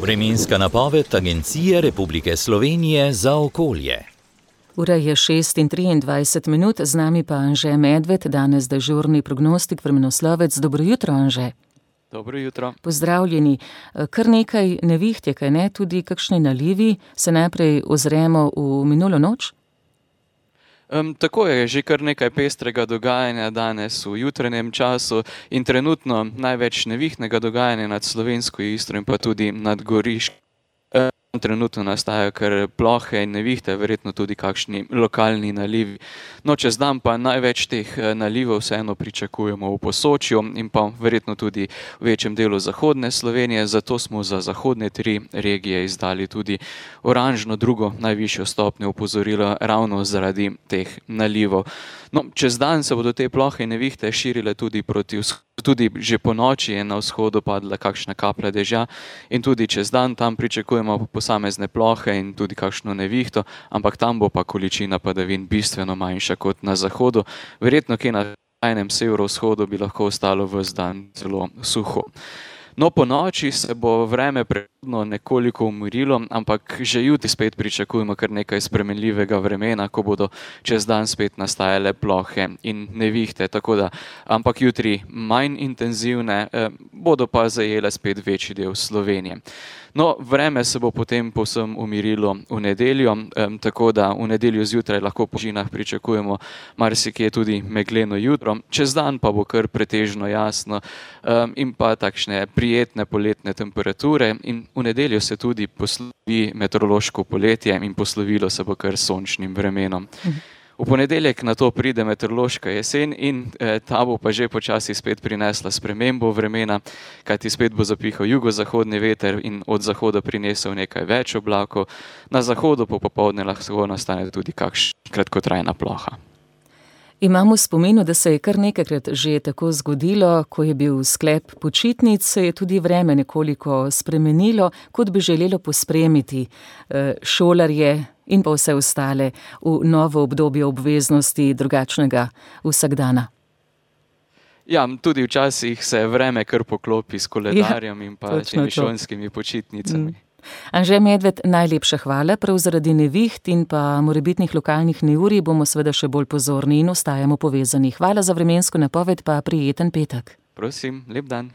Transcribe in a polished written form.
Vremenska napoved Agencije Republike Slovenije za okolje. Ura je 6:23, z nami pa Anže Medved, danes dežurni prognostik, vremenoslovec. Dobro jutro, Anže. Dobro jutro. Pozdravljeni. Kar nekaj neviht je, kaj ne, tudi kakšni nalivi. Se najprej ozremo v minulo noč? Tako je, že kar nekaj pestrega dogajanja danes v jutranjem času in trenutno največ nevihtnega dogajanja nad slovensko Istro in pa tudi nad Goriško. Trenutno nastajajo kar plohe in nevihte, verjetno tudi kakšni lokalni nalivi. No, čez dan pa največ teh nalivov vseeno pričakujemo v Posočju in pa verjetno tudi v večjem delu zahodne Slovenije, zato smo za zahodne 3 regije izdali tudi oranžno drugo najvišjo stopnjo opozorila ravno zaradi teh nalivov. No, čez dan se bodo te plohe in nevihte širile tudi proti vzhodu. Tudi že po noči je na vzhodu padla kakšna kaplja dežja in tudi čez dan tam pričakujemo posamezne plohe in tudi kakšno nevihto, ampak tam bo pa količina padavin bistveno manjša kot na zahodu. Verjetno kje na skrajnem severovzhodu bi lahko ostalo ves dan zelo suho. No, po noči se bo vreme prehodno nekoliko umirilo, ampak že jutri spet pričakujemo kar nekaj spremenljivega vremena, ko bodo čez dan spet nastajale plohe in nevihte, tako da, ampak jutri manj intenzivne, bodo pa zajele spet večji del Slovenije. No, vreme se bo potem povsem umirilo v nedeljo, tako da v nedeljo zjutraj lahko po nižinah pričakujemo marsikje tudi megleno jutro, čez dan pa bo kar pretežno jasno in pa takšne prijetne poletne temperature in v nedeljo se tudi poslovi meteorološko poletje in poslovilo se bo kar sončnim vremenom. V ponedeljek na to pride meteorološka jesen in ta bo pa že počasi spet prinesla spremembo vremena, kajti spet bo zapihal jugozahodni veter in od zahoda prinesel nekaj več oblakov, na zahodu po popoldne lahko nastane tudi kakšna kratkotrajna ploha. Imamo v spominu, da se je kar nekajkrat že tako zgodilo, ko je bil sklep počitnic, se je tudi vreme nekoliko spremenilo, kot bi želelo pospremiti šolarje in pa vse ostale v novo obdobje obveznosti drugačnega vsakdana. Ja, tudi včasih se vreme kar poklopi s koledarjem in pa temi šolskimi počitnicami. Anže Medved, najlepša hvala. Prav zaradi neviht in pa morebitnih lokalnih neurij bomo seveda še bolj pozorni in ostajamo povezani. Hvala za vremensko napoved, pa prijeten petek. Prosim, lep dan.